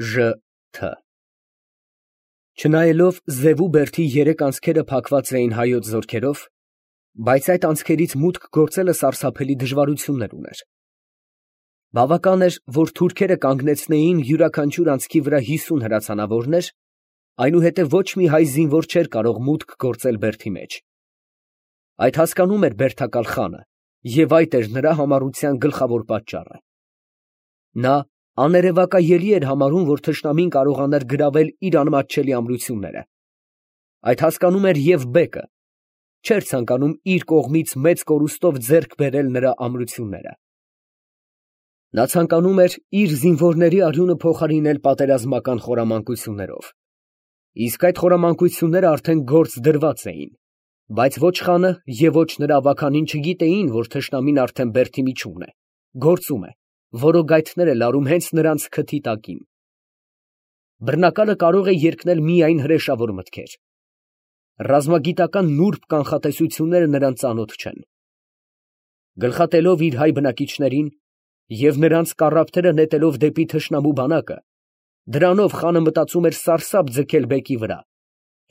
Ժ.Թ. Չնայելով Զևու բերդի երեք անցքերը փակված էին հայոց զորքերով, բայց այդ անցքերից մուտք գործելը սարսափելի դժվարություններ ուներ. բավական էր, որ թուրքերը կանգնեցնեին յուրաքանչյուր անցքի վրա 50 հրացանավորներ, այնուհետև ոչ մի հայ զինվոր չէր կարող մուտք գործել բերդի մեջ. այդ հասկանում էր բերդակալ խանը, և այդ էր նրա համառության գլխավոր պատճառը. նա աներևակայելի էր համարում, որ թշնամին կարողանար գրավել իր անմատչելի ամրությունները. այդ հասկանում էր և բեկը, չէր ցանկանում իր կողմից մեծ կորուստով ձեռք բերել նրա ամրությունները. նա ցանկանում էր իր զինվորների արյունը փոխարինել պատերազմական խորամանկություններով, իսկ այդ խորամանկությունները արդեն գործ դրված էին, բայց ոչ խանը և ոչ նրա ավագանին չգիտեին, որ թշնամին արդեն բերդի միջումն է, գործում է, որոգայթներ է լարում հենց նրանց քթի տակին. բռնակալը կարող է երկնել միայն հրեշավոր մտքեր. ռազմագիտական նուրբ կանխատեսությունները նրան ծանոթ չեն. գլխատելով իր հայ բնակիչներին և նրանց կառափները նետելով դեպի թշնամու բանակը, դրանով խանը մտածում էր սարսափ ձգել բեկի վրա,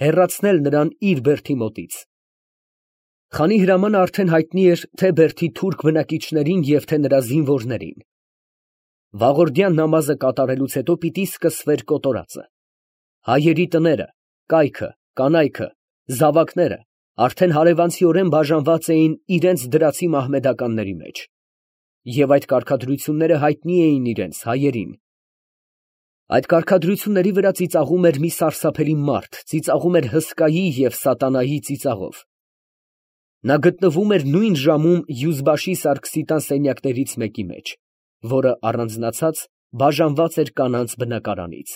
հեռացնել նրան իր բերդի մոտից. խանի հրամանը արդեն հայտնի էր թե բերդի թուրք բնակիչներին և թե նրա զինվորներին. վաղորդյան նամազը կատարելուց հետո պիտի սկսվեր կոտորածը. հայերի տները, կայքը, կանայքը, զավակները արդեն հարևանցիորեն բաժանված էին իրենց դրացի մահմեդականների մեջ, և այդ կարգադրությունները հայտնի էին իրենց հայերին. այդ կարգադրությունների վրա ծիծաղում էր մի սարսափելի մարդ, ծիծաղում էր հսկայի և սատանայի ծիծաղով. նա գտնվում էր նույն ժամում Յուզբաշի Սարգսիտան սենյակներից մեկի մեջ, որը առանձնացած բաժանված էր կանանց բնակարանից.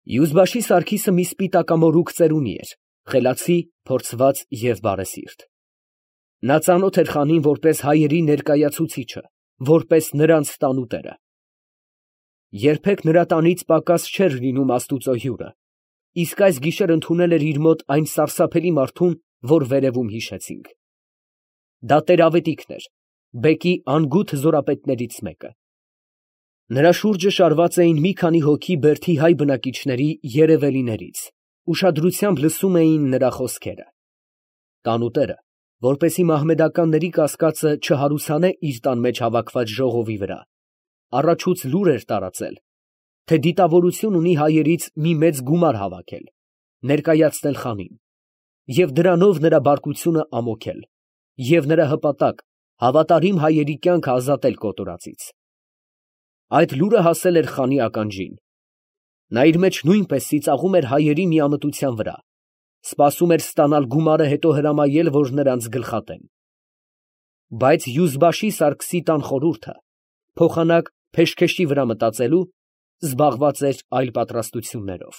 Յուզբաշի Սարգիսը մի սպիտակամորուք ծերունի էր, խելացի, փորձված և բարեսիրտ. նա ծանոթ էր խանին որպես հայերի ներկայացուցիչը, որպես նրանց տանուտերը. երբեք նրա տանից պակաս չէր լինում աստուծո հյուրը, իսկ այս գիշեր ընդունել էր իր մոտ այն սարսափելի մարդուն, որ վերևում հիշեցինք. դա տեր֊ավետիքն էր, բեկի անգութ զորապետներից մեկը. նրա շուրջը շարված էին մի քանի հոգի բերդի հայ բնակիչների երևելիներից, ուշադրությամբ լսում էին նրա խոսքերը. տանուտերը, որպեսզի մահմեդականների կասկածը չհարուցանե իր տան մեջ հավաքված ժողովի վրա, առաջուց լուր էր տարածել, թե դիտավորություն ունի հայերից մի մեծ գումար հավաքել, ներկայացնել խանին, և դրանով նրա բարկությունը ամոքել, և նրա հպատակ հավատարիմ հայերի կյանքը ազատել կոտորածից. այդ լուրը հասել էր խանի ականջին. նա իր մեջ նույնպես ծիծաղում էր հայերի միամտության վրա, սպասում էր ստանալ գումարը, հետո հրամայել, որ նրանց գլխատեն. բայց Յուզբաշի Սարգսի տան խորհուրդը, փոխանակ փեշքեշի վրա մտածելու, զբաղված էր այլ պատրաստություններով.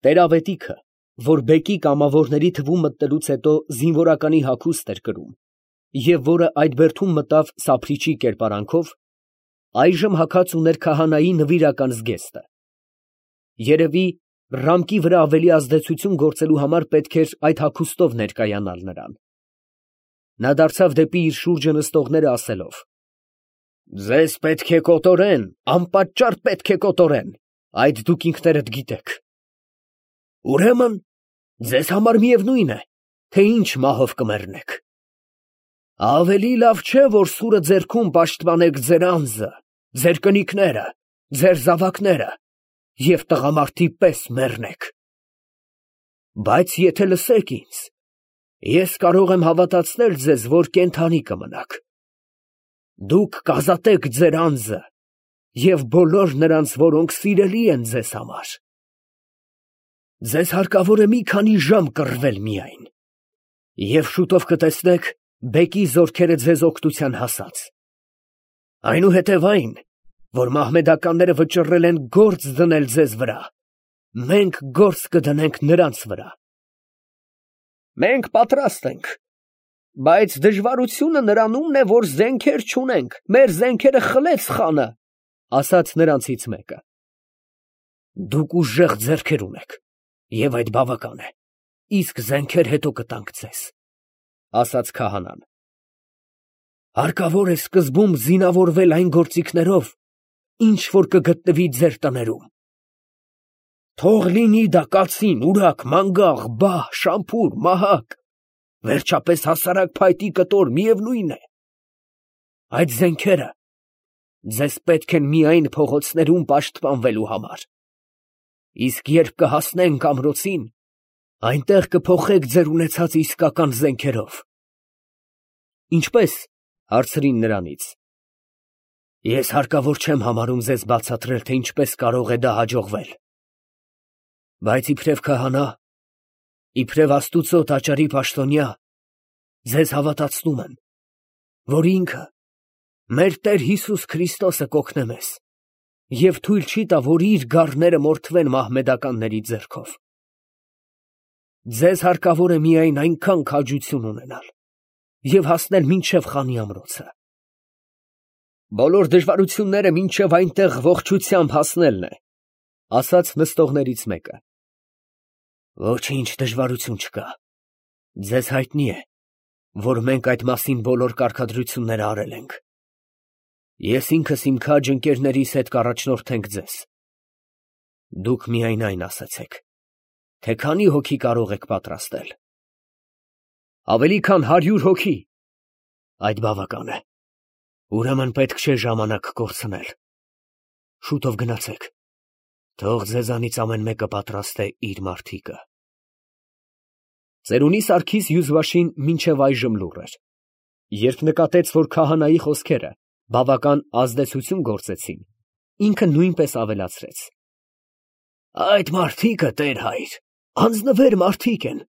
տեր֊ավետիքը, որ բեկի կամավորների թվում մտնելուց հետո զինվորականի հագուստ էր կրում, և որը այդ բերդում մտավ սափրիչի կերպարանքով, այժմ հագած ուներ քահանայի նվիրական զգեստը. երևի ռամկի վրա ավելի ազդեցություն գործելու համար պետք էր այդ հագուստով ներկայանալ նրան. նա դարձավ դեպի իր շուրջը նստողները ասելով. ձեզ պետք է կոտորեն, անպատճառ պետք է կոտորեն, այդ դուք ինքներդ գիտեք. ուրեմն ձեզ համար միևնույն է, թե ինչ մահով կմեռնեք. ավելի լավ չէ, որ սուրը ձեռքում պաշտպանեք ձեր անձը, ձեր կնիկները, ձեր զավակները և տղամարդի պես մեռնեք. բայց եթե լսեք ինձ, ես կարող եմ հավատացնել ձեզ, որ կենդանի կմնաք. դուք կազատեք ձեր անձը և բոլոր նրանց, որոնք սիրելի են ձեզ համար. ձեզ հարկավոր է մի քանի ժամ կռվել միայն, և շուտով կտեսնեք բեկի զորքերը ձեզ օգնության հասած. այնուհետև այն, որ մահմեդականները վճռել են գործ դնել ձեզ վրա, մենք գործ կդնենք նրանց վրա. մենք պատրաստ ենք, բայց դժվարությունը նրանումն է, որ զենքեր չունենք, մեր զենքերը խլեց խանը, ասաց նրանցից մեկը. դուք ուժեղ ձեռքեր ունեք, և այդ բավական է, իսկ զենքեր հետո կտանք ձեզ, ասաց քահանան. հարկավոր է սկզբում զինավորվել այն գործիքներով, ինչ որ կգտնվի ձեր տներում։ Թող լինի դա կացին, ուրակ, մանգաղ, բահ, շամփուր, մահակ, վերջապես հասարակ փայտի կտոր, միևնույն է։ Այդ զենքերը ձեզ պետք են միայն փողոցներում պաշտպանվելու համար։ Իսկ երբ կհասնենք ամրոցին, այնտեղ կփոխեք ձեր ունեցած իսկական զենքերով։ Ինչպես, հարցրին նրանից։ Ես հարկավոր չեմ համարում ձեզ բացատրել, թե ինչպես կարող է դա հաջողվել։ Բայց իբրև քահանա, իբրև Աստուծո տաճարի պաշտոնյա, ձեզ հավատացնում եմ, որ ինքը, մեր Տեր Հիսուս Քրիստոսը կօգնե մեզ և թույլ չի տա, որ իր գառները մորթվեն մահմեդականների ձեռքով։ Ձեզ հարկավոր է միայն այնքան քաջություն ունենալ և հասնել մինչև խանի ամրոցը։ Բոլոր դժվարությունները մինչև այնտեղ ողջությամբ հասնելն է, ասաց նստողներից մեկը։ Ոչինչ դժվարություն չկա։ Ձեզ հայտնի է, որ մենք այդ մասին բոլոր կարգադրությունները արել ենք։ Ես ինքս իմ քաջ ընկերներիս հետ կառաջնորդենք ձեզ։ Դուք միայն այն ասացեք, թե քանի հոգի կարող եք պատրաստել։ Ավելի քան 100 հոգի։ Այդ բավական է։ Ուրեմն պետք չէ ժամանակ կորցնել։ Շուտով գնացեք։ Թող ձեզանից ամեն մեկը պատրաստ է իր մարդիկը։ Ծերունի Սարգիս Յուզվաշին մինչև այժմ լուռ էր։ Երբ նկատեց, որ քահանայի խոսքերը բավական ազդեցություն գործեցին, ինքը նույնպես ավելացրեց. Այդ մարդիկը, Տեր հայր, անձնվեր մարդիկ են։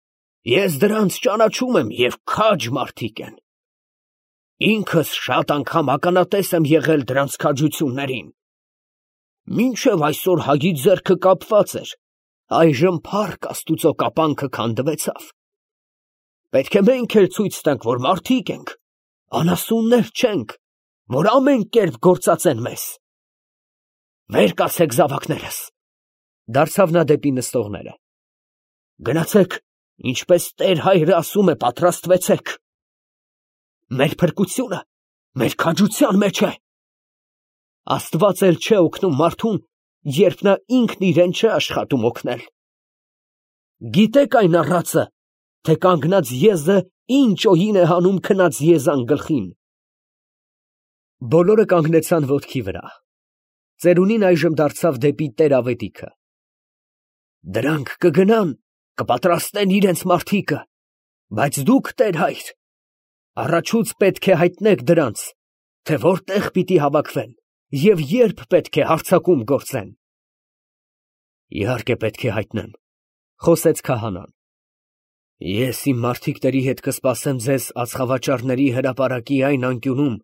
Ես դրանց ճանաչում եմ և քաջ մարդիկ են։ Ինքս շատ անգամ ականատես եմ եղել դրանց քաջություններին։ Մինչև այսօր Հագի ձեռքը կապված էր, այժմ փառք Աստուծո կապանքը քանդվեցավ։ Պետք է մենք էլ ցույց տանք, որ մարդիկ ենք, անասուններ չենք, որ ամեն կերպ գործածեն մեզ։ Վեր կացեք զավակներս, դարձավ նա դեպի նստողները։ Գնացեք, ինչպես Տեր հայրը ասում է, պատրաստվեցեք։ Մեր փրկությունը մեր քաջության մեջ է։ Աստված էլ չէ օգնում մարդուն, երբ նա ինքն իրեն չէ աշխատում օգնել։ Գիտեք այն առածը, թե կանգնած եզը ինչ օհին է հանում քնած եզան գլխին։ Բոլորը կանգնեցան ոտքի վրա։ Ծերունին այժմ դարձավ դեպի տեր-ավետիքը։ Դրանք կգնան, կպատրաստեն իրենց մարդիկը, բայց դուք, Տեր հայր, առաջուց պետք է հայտնեք դրանց, թե որտեղ պիտի հավաքվեն և երբ պետք է հարձակում գործեն։ Իհարկե պետք է հայտնեմ, խոսեց քահանան։ Ես իմ մարդիկների հետ կսպասեմ ձեզ ածխավաճառների հրապարակի այն անկյունում,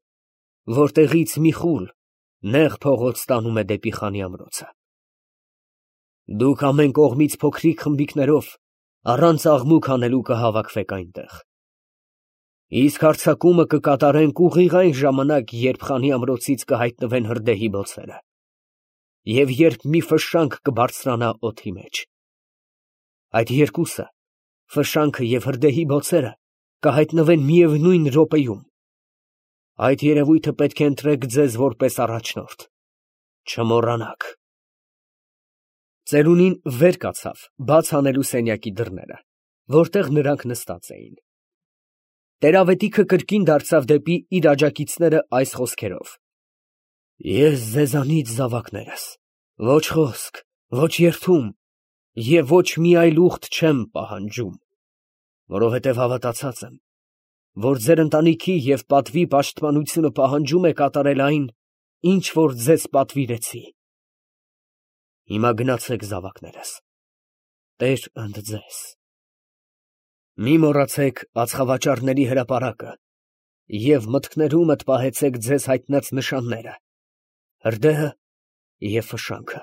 որտեղից մի խուլ նեղ փողոց տանում է դեպի խանի ամրոցը։ Դուք ամեն կողմից փոքրիկ խմբիկներով առանց աղմուկ անելու կհավաքվեք այնտեղ։ Իսկ հարձակումը կկատարենք ուղիղ այն ժամանակ, երբ խանի ամրոցից կհայտնվեն հրդեհի բոցերը և երբ մի ֆշշանք կբարձրանա օդի մեջ։ Այդ երկուսը, ֆշշանքը և հրդեհի բոցերը, կհայտնվեն միևնույն րոպեում։ Այդ երևույթը պետք է ընտրեք ձեզ որպես առաջնորդ։ Չմոռանաք։ Ծերունին վեր կացավ, բաց անելու սենյակի դռները, որտեղ նրանք նստած էին։ Տեր-ավետիքը կրկին դարձավ դեպի իր աջակիցները այս խոսքերով. Ես ձեզանից զավակներս, ոչ խոսք, ոչ երդում և ոչ մի այլ ուխտ չեմ պահանջում, որովհետև հավատացած եմ, որ ձեր ընտանիքի և պատվի պաշտպանությունը պահանջում է կատարել այն, ինչ որ ձեզ պատվիրեցի։ Հիմա գնացեք, զավակներս, Տեր ընդ ձեզ։ Մի մոռացեք ածխավաճառների հրապարակը և մտքներումդ պահեցեք ձեզ հայտնած նշանները, հրդեհը և ֆշշանքը։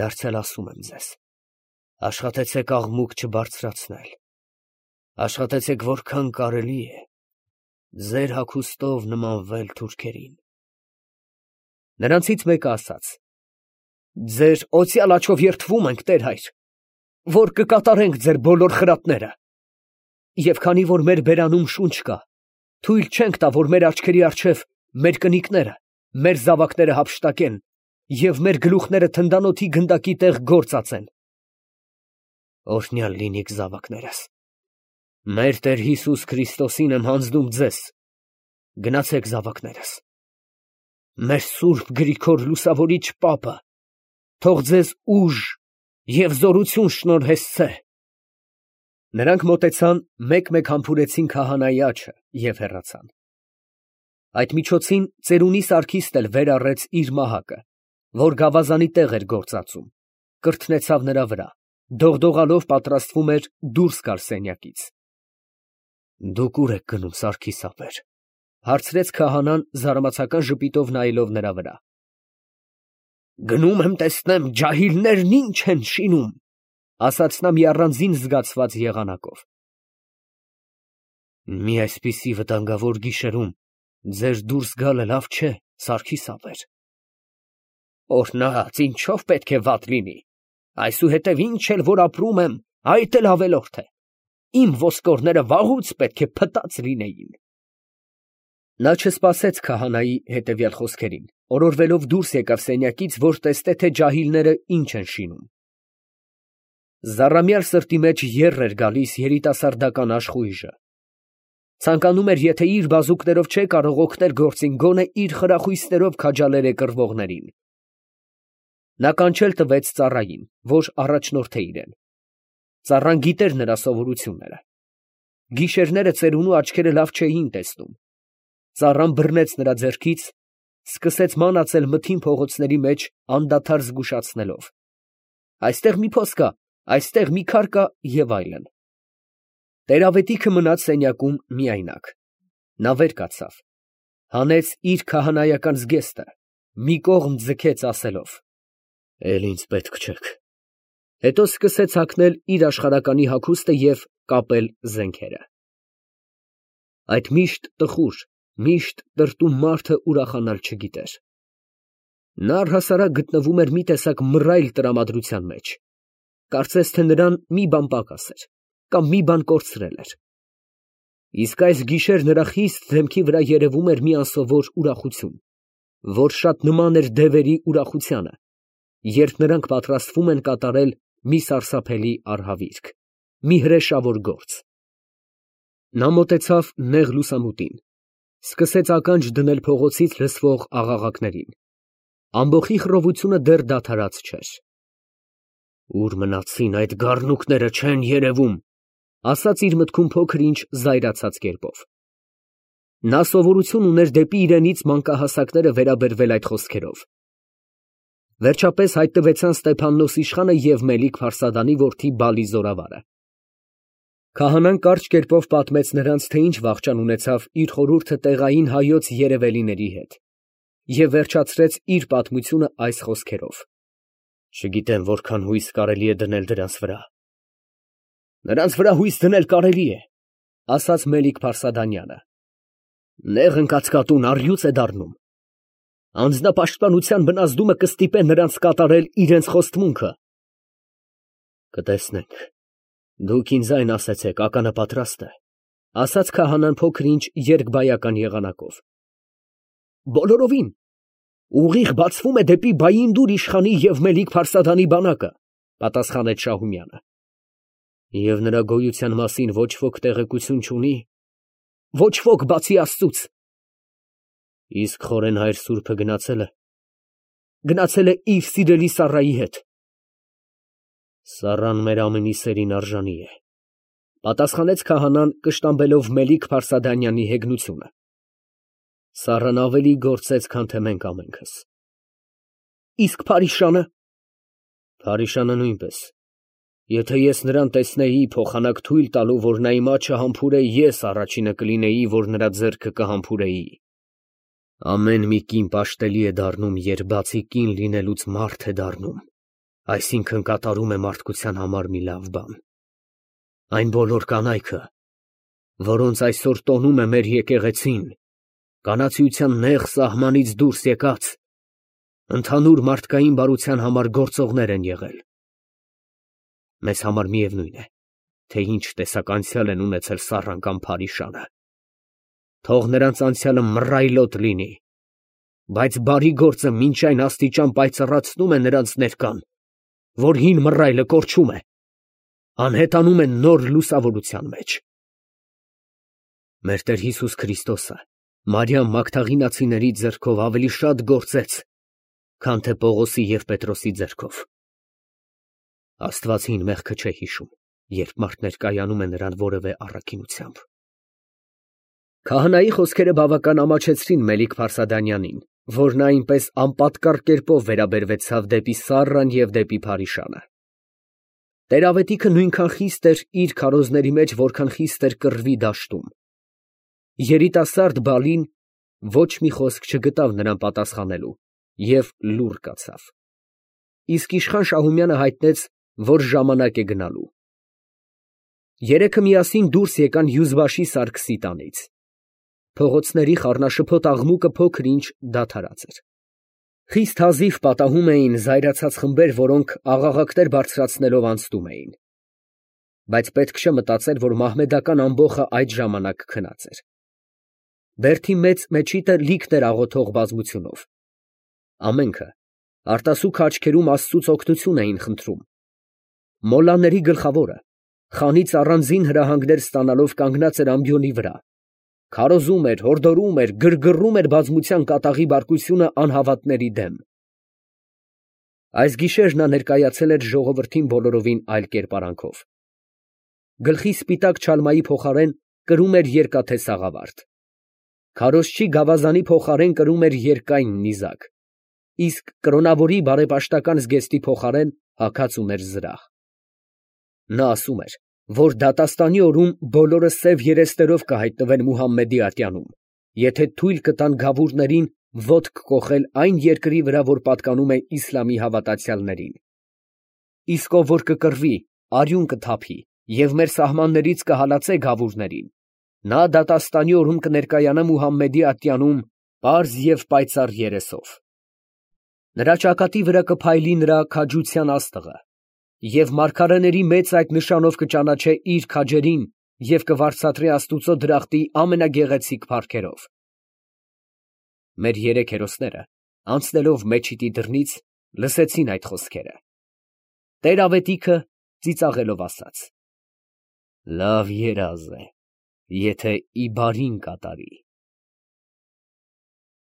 Դարձյալ ասում եմ ձեզ, աշխատեցեք աղմուկ չբարձրացնել, աշխատեցեք որքան կարելի է, ձեր հագուստով նմանվել թուրքերին։ Նրանցից մեկը ասաց. Ձեր օծյալ աջով երդվում ենք, Տեր հայր, որ կկատարենք ձեր բոլոր խրատները։ Եվ քանի որ մեր բերանում շունչ կա, թույլ չենք տա, որ մեր աչքերի առջև մեր կնիկները մեր զավակները հափշտակեն և մեր գլուխները թնդանոթի գնդակի տեղ գործածեն։ Օրհնյալ լինիք զավակներս։ Մեր Տեր Հիսուս Քրիստոսին եմ հանձնում ձեզ։ Գնացեք զավակներս։ Մեր Սուրբ Գրիգոր Լուսավորիչ պապը թող ձեզ ուժ և զորություն շնորհեսցե։ Նրանք մոտեցան, մեկ-մեկ համբուրեցին քահանայի աջը և հեռացան։ Այդ միջոցին ծերունի Սարգիսն էլ վեր առեց իր մահակը, որ գավազանի տեղ էր գործածում, կրթնեցավ նրա վրա, դողդողալով պատրաստվում էր դուրս գալ սենյակից։ Դուք ուր եք գնում, Սարգիս ապեր, հարցրեց քահանան զարմացական ժպիտով նայելով նրա վրա։ Գնում եմ տեսնեմ ջահիլներն ինչ են շինում, ասաց նա մի առանձին զգացված եղանակով։ Մի այսպիսի վտանգավոր գիշերում ձեր դուրս գալը լավ չէ, Սարգիս ապեր։ Օրհնած, ինչով պետք է վատ լինի, այսուհետև ինչ էլ որ ապրում եմ, այդ էլ ավելորդ է, իմ ոսկորները վաղուց պետք է փտած լինեին։ Նա չսպասեց քահանայի հետևյալ խոսքերին, օրորվելով դուրս եկավ սենյակից, որ տեսնե, թե ջահիլները ինչ են շինում։ Զառամյալ սրտի մեջ եռ էր գալիս երիտասարդական աշխույժը։ Ցանկանում էր, եթե իր բազուկներով չէ կարող օգնել գործին, գոնե իր խրախույսներով քաջալեր է կռվողներին։ Նա կանչել տվեց ծառային, որ առաջնորդե իրեն։ Ծառան գիտեր նրա սովորությունները։ Գիշերները ծերունու աչքերը լավ չէին տեսնում։ Ծառան բռնեց նրա ձեռքից, սկսեց մանածել մթին փողոցների մեջ անդադար զգուշացնելով. այստեղ մի փոս կա, այստեղ մի քար կա և այլն։ Տեր-ավետիքը մնաց սենյակում միայնակ։ Նա վեր կացավ, հանեց իր քահանայական զգեստը, մի կողմ ձգեց ասելով. «Էլ ինձ պետք չեք»։ Հետո սկսեց հագնել իր աշխարհականի հագուստը և կապել զենքերը։ Այդ միշտ տխուր, միշտ տրտում մարդը ուրախանալ չգիտեր։ Նա առհասարակ գտնվում էր մի տեսակ մռայլ տրամադրության մեջ։ Կարծես թե նրան մի բան պակաս էր, կամ մի բան կորցրել էր։ Իսկ այս գիշեր նրա խիստ դեմքի վրա երևում էր մի անսովոր ուրախություն, որ շատ նման էր դևերի ուրախությանը, երբ նրանք պատրաստվում են կատարել մի սարսափելի արհավիրք, մի հրեշավոր գործ։ Նա մոտեցավ նեղ լուսամուտին, սկսեց ականջ դնել փողոցից լսվող աղաղակներին։ Ամբոխի խռովությունը դեռ դադարած չէր։ Ուր մնացին այդ գառնուկները, չեն երևում, ասաց իր մտքում փոքր ինչ զայրացած կերպով։ Նա սովորություն ուներ դեպի իրենից մանկահասակները վերաբերվել այդ խոսքերով։ Վերջապես հայտնվեցան Ստեփաննոս իշխանը և Մելիք Փարսադանի որդի Բալի զորավարը։ Քահանան կարճ կերպով պատմեց նրանց, թե ինչ վախճան ունեցավ իր խորհուրդը տեղային հայոց երևելիների հետ, և վերջացրեց իր պատմությունը այս խոսքերով. Չգիտեմ որքան հույս կարելի է դնել դրանց վրա։ Նրանց վրա հույս դնել կարելի է, ասաց Մելիք Փարսադանյանը։ Նեղ ընկած կատուն առյուծ է դառնում։ Անձնապաշտպանության բնազդումը կստիպե նրանց կատարել իրենց խոստմունքը։ Կտեսնենք։ Դուք ինձ այն ասեցեք, ականը պատրաստ է, ասաց քահանան փոքր ինչ երկբայական եղանակով։ Բոլորովին։ Ուղիղ բացվում է դեպի Բայինդուր իշխանի և Մելիք Փարսադանի բանակը, պատասխանեց Շահումյանը։ Եվ նրա գոյության մասին ոչ ոք տեղեկություն չունի։ Ոչ ոք բացի Աստծուց։ Իսկ խորեն հայր սուրբը գնացել է իր սիրելի Սառայի հետ։ Սառան մեր ամենի սերին արժանի է, պատասխանեց քահանան, կշտամբելով Մելիք Փարսադանյանի հեգնությունը։ Սառան ավելի գործեց, քան թե մենք ամենքս։ Իսկ Փարիշանը։ Փարիշանը նույնպես։ Եթե ես նրան տեսնեի, փոխանակ թույլ տալու, որ նա իմ աջը համբուրե, ես առաջինը կլինեի, որ նրա ձեռքը կհամբուրեի։ Ամեն մի կին պաշտելի է դառնում, երբ բացի կին լինելուց մարդ է դառնում, այսինքն կատարում է մարդկության համար մի լավ բան։ Այն բոլոր կանայքը, որոնց այսօր տոնում է մեր եկեղեցին, կանացիության նեղ սահմանից դուրս եկած, ընդհանուր մարդկային բարության համար գործողներ են եղել։ Մեզ համար միևնույն է, թե ինչ տեսակ անցյալ են ունեցել Սառան կամ Փարիշանը։ Թող նրանց անցյալը մռայլոտ լինի, բայց բարի գործը մինչ այն աստիճան պայծառացնում է նրանց ներկան, որ հին մռայլը կորչում է, անհետանում է նոր լուսավորության մեջ։ Մեր Տեր Հիսուս Քրիստոսը Մարիամ Մագդաղինացիների ձեռքով ավելի շատ գործեց, քան թե Պողոսի և Պետրոսի ձեռքով։ Աստված հին մեղքը չէ հիշում, երբ մարդ ներկայանում է նրան որևէ առաքինությամբ։ Քահանայի խոսքերը բավական ամաչեցրին Մելիք Փարսադանյանին, որն այնպես անպատկառ կերպով վերաբերվեցավ դեպի Սառան և դեպի Փարիշանը։ Տեր-ավետիքը նույնքան խիստ էր իր քարոզների մեջ, որքան խիստ էր կռվի դաշտում։ Երիտասարդ Բալին ոչ մի խոսք չգտավ նրան պատասխանելու և լուռ կացավ։ Իսկ իշխան Շահումյանը հայտնեց, որ ժամանակ է գնալու։ Երեքը միասին դուրս եկան Հյուզբաշի Սարգսի տանից։ Փողոցների խառնաշփոթ աղմուկը փոքր-ինչ դադարած էր։ Խիստ հազիվ պատահում էին զայրացած խմբեր, որոնք աղաղակներ բարձրացնելով անցնում էին։ Բայց պետք չէ մտածել, որ մահմեդական ամբոխը այդ ժամանակ քնած էր։ Բերդի մեծ մեջիտը լիքն էր աղոթող բազմությունով։ Ամենքը արտասուք աչքերում Աստծուց օգնություն էին խնդրում։ Մոլլաների գլխավորը խանից առանձին հրահանգներ ստանալով կանգնած էր ամբիոնի վրա, քարոզում էր, հորդորում էր, գրգռում էր բազմության կատաղի բարկությունը անհավատների դեմ։ Այս գիշեր նա ներկայացել էր ժողովրդին բոլորովին այլ կերպարանքով։ Գլխի սպիտակ չալմայի փոխարեն կրում էր երկաթե սաղավարտ։ Քարոզչի գավազանի փոխարեն կրում էր երկայն նիզակ, իսկ կրոնավորի բարեպաշտական զգեստի փոխարեն հագած ուներ զրահ։ Նա ասում էր, որ դատաստանի օրում բոլորը սև երեսներով կհայտնվեն Մուհամմեդի ատյանում, եթե թույլ կտան գավուրներին ոտք կոխել այն երկրի վրա, որ պատկանում է իսլամի հավատացյալներին։ Իսկ ով որ կկռվի, արյուն կթափի և մեր սահմաններից կհալածե գավուրներին, նա դատաստանի օրում կներկայանա Մուհամմեդի ատյանում պարզ և պայծառ երեսով։ Նրա ճակատի վրա կփայլի նրա քաջության աստղը, և մարգարեների մեծ այդ նշանով կճանաչե իր քաջերին և կվարձատրի Աստուծո դրախտի ամենագեղեցիկ փառքերով։ Մեր երեք հերոսները, անցնելով մեջիտի դռնից, լսեցին այդ խոսքերը։ Տեր-ավետիքը ծիծաղելով ասաց. «Լավ երազ է, եթե ի բարին կատարի»։